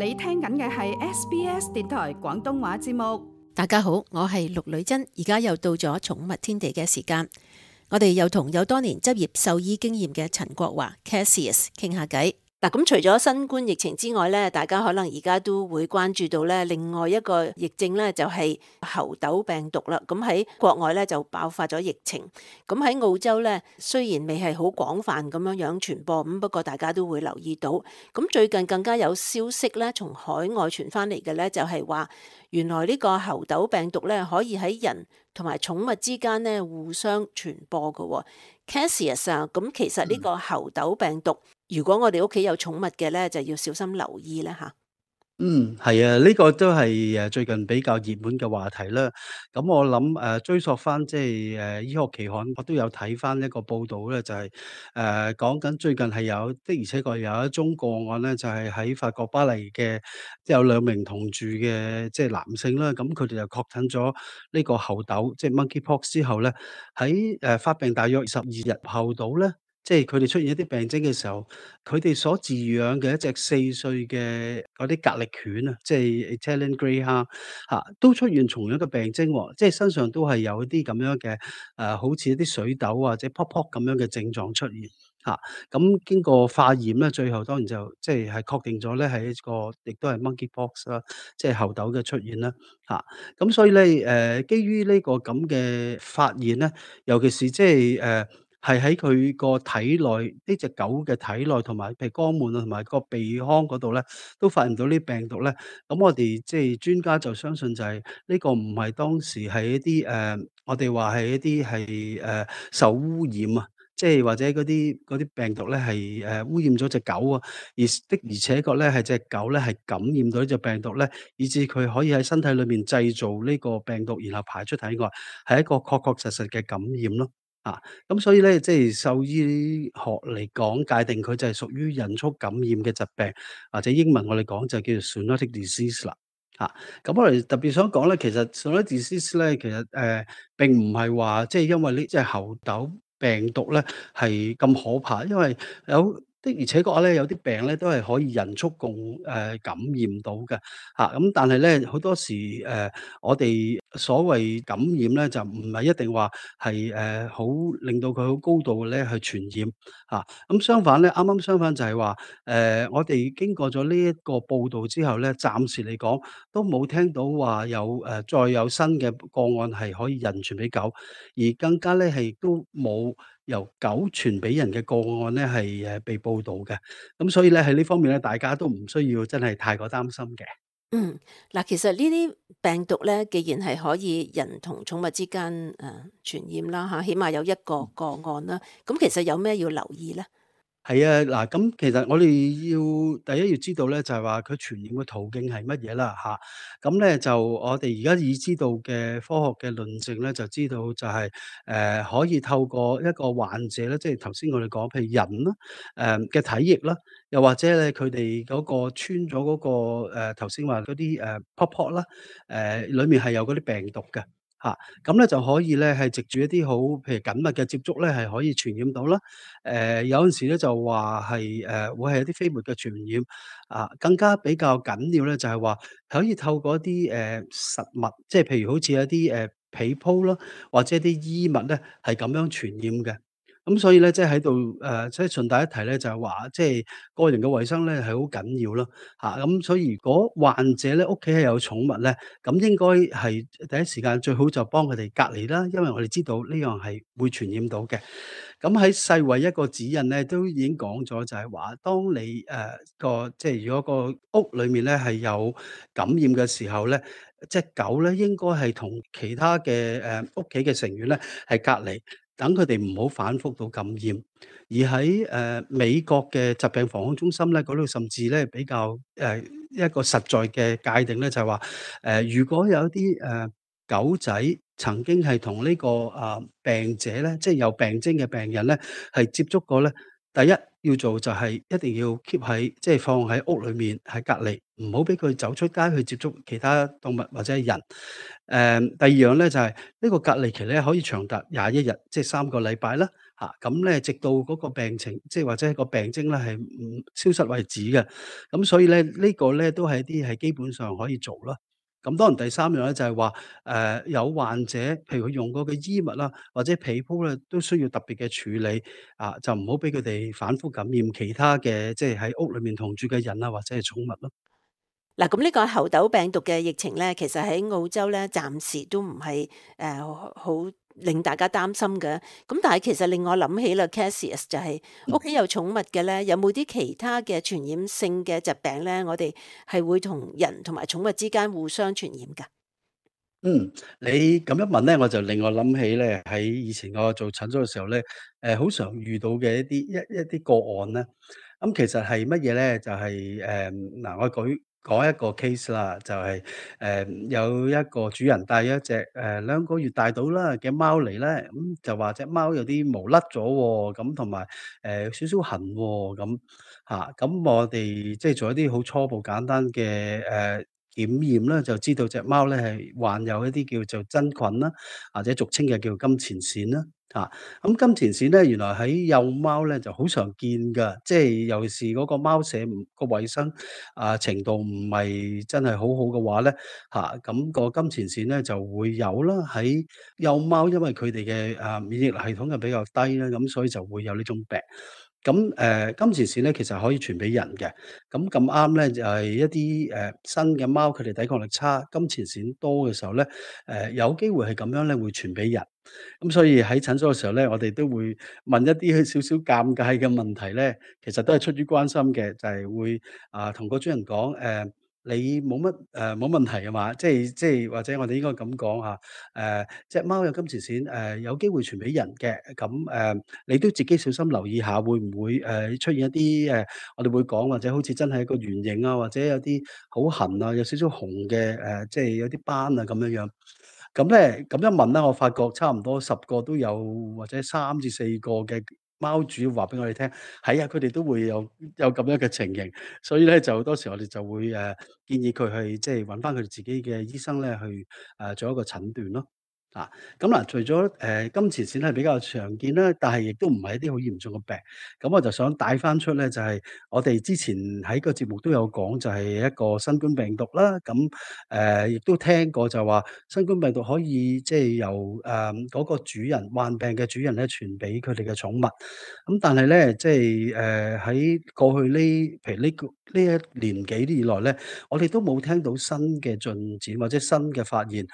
你聽緊嘅係 SBS 電台廣東話節目。大家好，我係陸女珍，而家又到咗寵物天地嘅時間，我哋又同有多年執業獸醫經驗嘅陳國華 Cassius 傾下偈。嗱，咁除咗新冠疫情之外咧，大家可能而家都會關注到咧，另外一個疫症咧就係猴痘病毒啦。咁喺國外咧就爆發咗疫情，咁喺澳洲咧雖然未係好廣泛咁樣傳播，咁不過大家都會留意到。咁最近更加有消息咧，從海外傳翻嚟嘅咧就係話，原來呢個猴痘病毒咧可以喺人同埋寵物之間咧互相傳播嘅。Cassius 啊，咁其實呢個猴痘病毒，如果我哋屋企有寵物嘅咧，就要小心留意啦吓。係啊，呢個都係最近比較熱門嘅話題啦。咁我諗追溯翻即係醫學期刊，我都有睇翻一個報道咧，就係講緊最近係有的而且確有一宗個案咧，就係喺法國巴黎嘅，即係有兩名同住嘅即係男性啦。咁佢哋就確診咗呢個猴痘，即係 monkeypox 之後咧，喺發病大約12日後到咧。即係佢哋出現一啲病徵嘅時候，佢哋所飼養嘅一隻4歲嘅嗰啲格力犬啊，即係 Italian Greyhound 都出現同樣嘅病徵喎，即係身上都係有一啲咁樣嘅好似一啲水痘或者泡泡咁樣嘅症狀出現嚇。咁經過化驗咧，最後當然就即係確定咗咧係一個亦都係 monkeypox 啦，即係猴痘嘅出現啦嚇。咁所以咧基於呢個咁嘅發現咧，尤其是即係係喺佢個體內，呢隻狗嘅體內同埋譬如肛門啊，同埋個鼻腔嗰度咧，都發現到呢病毒咧。咁我哋即係專家就相信就係呢個唔係當時係一啲我哋話係一啲係受污染啊，即係或者嗰啲病毒咧係污染咗隻狗啊，而且確咧係隻狗咧係感染到呢隻病毒咧，以致佢可以喺身體裏面製造呢個病毒，然後排出體外，係一個確確實實嘅感染咯。啊，咁所以咧，即係獸醫學嚟講，界定佢就係屬於人畜感染嘅疾病，或者英文我哋講就叫做 zoonotic disease 啦。咁我哋特別想講咧，其實 zoonotic disease 咧，其實並唔係話即係因為呢隻猴痘病毒咧係咁可怕，因為的而且確咧，有啲病咧都係可以人畜共感染到嘅咁但係咧好多時我哋所謂感染咧，就唔係一定話係好令到佢好高度咧去傳染咁相反咧，啱啱相反就係話我哋經過咗呢一個報導之後咧，暫時嚟講都冇聽到話有再有新嘅個案係可以人傳俾狗，而更加咧係都冇由狗傳俾人嘅個案咧係被報導嘅。咁所以咧喺呢方面咧，大家都唔需要真係太過擔心嘅。嗱，其實呢啲病毒咧，既然係可以人同寵物之間傳染啦嚇，起碼有一個個案啦，咁其實有咩要留意咧？係啊，嗱，咁其實我哋第一要知道咧，就係話佢傳染嘅途徑係乜嘢啦咁咧就我哋而家已知道嘅科學嘅論證咧，就知道就係可以透過一個患者咧，即係頭先我哋講譬如人啦，嘅體液啦，又或者咧佢哋嗰個穿咗嗰個頭先話嗰啲泡啦，裡面係有嗰啲病毒嘅。咁咧就可以咧係藉住一啲好譬如緊密嘅接觸咧，係可以傳染到啦。有陣時咧就話係會係一啲飛沫嘅傳染，更加比較緊要咧就係話可以透過一啲實物，即係譬如好似一啲被鋪啦，或者一啲衣物咧係咁樣傳染嘅。咁所以咧，即係喺度即係順帶一提咧，就係話即係個人嘅衛生咧係好緊要咯咁所以如果患者咧屋企係有寵物咧，咁應該係第一時間最好就幫佢哋隔離啦，因為我哋知道呢樣係會傳染到嘅。咁喺世衛一個指引咧，都已經講咗就係話，當你即係如果個屋裏面咧係有感染嘅時候咧，隻狗咧應該係同其他嘅屋企嘅成員咧係隔離。等佢哋唔好反覆到感染，而喺美國嘅疾病防控中心咧，嗰度甚至咧比較一個實在嘅界定咧，就係話如果有一啲狗仔曾經係同呢個病者咧，即係有病徵嘅病人咧，係接觸過咧，第一要做就係一定要 keep 喺即係放喺屋裏面係隔離，唔好俾佢走出街去接觸其他動物或者係人。第二樣咧就係呢個隔離期咧可以長達21日，即係3個禮拜啦咁咧直到嗰個病情，即係或者係個病徵咧係唔消失為止嘅。咁所以咧，呢個咧都係一啲係基本上可以做啦。咁當然第三樣咧就係話，有患者譬如佢用過嘅衣物啦，或者被鋪咧，都需要特別嘅處理，就唔好俾佢哋反覆感染其他嘅即係喺屋裏面同住嘅人啊，或者係寵物咯。嗱，咁呢個猴痘病毒嘅疫情咧，其實喺澳洲咧，暫時都唔係好令大家擔心嘅。咁但係其實令我諗起啦，Cassius 就係屋企有寵物嘅咧，有冇啲其他嘅傳染性嘅疾病咧？我哋係會同人同埋寵物之間互相傳染㗎。嗯，你咁一問咧，我就令我諗起咧，喺以前我做診所嘅時候咧，好常遇到嘅一啲個案咧。咁其實係乜嘢咧？就係嗱，我講一個 case 啦，就係有一個主人帶咗一隻2個月大到啦嘅貓嚟咧，咁就話隻貓有啲毛甩咗喎，咁同埋有少少痕喎，咁我哋即係做一啲好初步簡單嘅檢驗啦，就知道隻貓咧係患有一啲叫做真菌啦，或者俗稱嘅叫金錢癬啦，咁金錢癬咧原來喺幼貓咧就好常見㗎，即係尤其是嗰個貓舍個衛生程度唔係真係好好嘅話咧，咁個金錢癬咧就會有啦。喺幼貓因為佢哋嘅免疫力系統就比較低啦，咁所以就會有呢種病。咁金錢癬咧其實可以傳俾人嘅，咁咁啱咧就係一啲新嘅貓，佢哋抵抗力差，金錢癬多嘅時候咧，有機會係咁樣咧會傳俾人。咁所以喺診所嘅時候咧，我哋都會問一啲少少尷尬嘅問題咧，其實都係出於關心嘅，就係會同個主人講你冇問題係嘛？即係或者我哋應該咁講嚇，隻貓有金錢癬，有機會傳俾人嘅，咁你都自己小心留意下，會唔會出現一啲我哋會講或者好似真係一個圓形啊，或者有啲好痕啊，有少少紅嘅即係有啲斑啊咁樣樣。咁咧，咁一問咧，我發覺差唔多10個都有，或者3至4個嘅貓主話俾我哋聽，係啊，佢哋都會有咁樣嘅情形，所以咧就好多時我哋就會建議佢去即係揾翻佢哋自己嘅醫生咧去做一個診斷咯。啊，咁嗱，除咗金錢癬係比較常見啦，但係亦都唔係一啲好嚴重嘅病。咁我就想帶翻出咧，就係我哋之前喺個節目都有講，就係一個新冠病毒啦。咁亦都聽過就話新冠病毒可以即係由嗰個主人患病嘅主人咧傳俾佢哋嘅寵物。咁但係咧，即係喺過去呢譬如呢一年幾以來咧，我哋都冇聽到新嘅進展或者新嘅發現。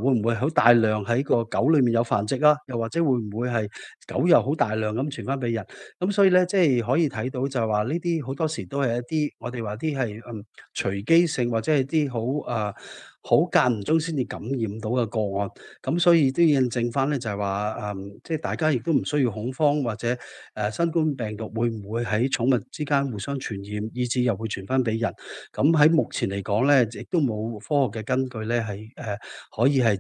會唔會好大量喺個狗裏面有繁殖啊？又或者會唔會係狗又好大量咁傳翻俾人？咁所以咧，即係可以睇到就係話呢啲好多時都係一啲我哋話啲係隨機性或者係啲好間唔中先至感染到嘅個案。咁所以都要印證翻咧，就係話即係大家亦都唔需要恐慌，或者新冠病毒會唔會喺寵物之間互相傳染，以至又會傳翻俾人？咁喺目前嚟講咧，亦都冇科學嘅根據咧係可以係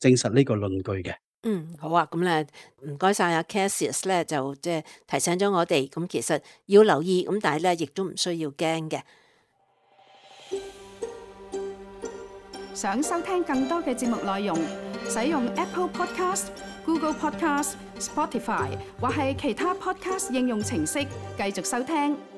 證實呢個論據嘅。嗯，好啊，咁咧唔該晒阿 Cassius 咧，就即係提醒咗我哋，咁其實要留意，咁但係咧亦都唔需要驚嘅。想收聽更多嘅節目內容，使用 Apple Podcast、Google Podcast、Spotify 或係其他 Podcast 應用程式繼續收聽。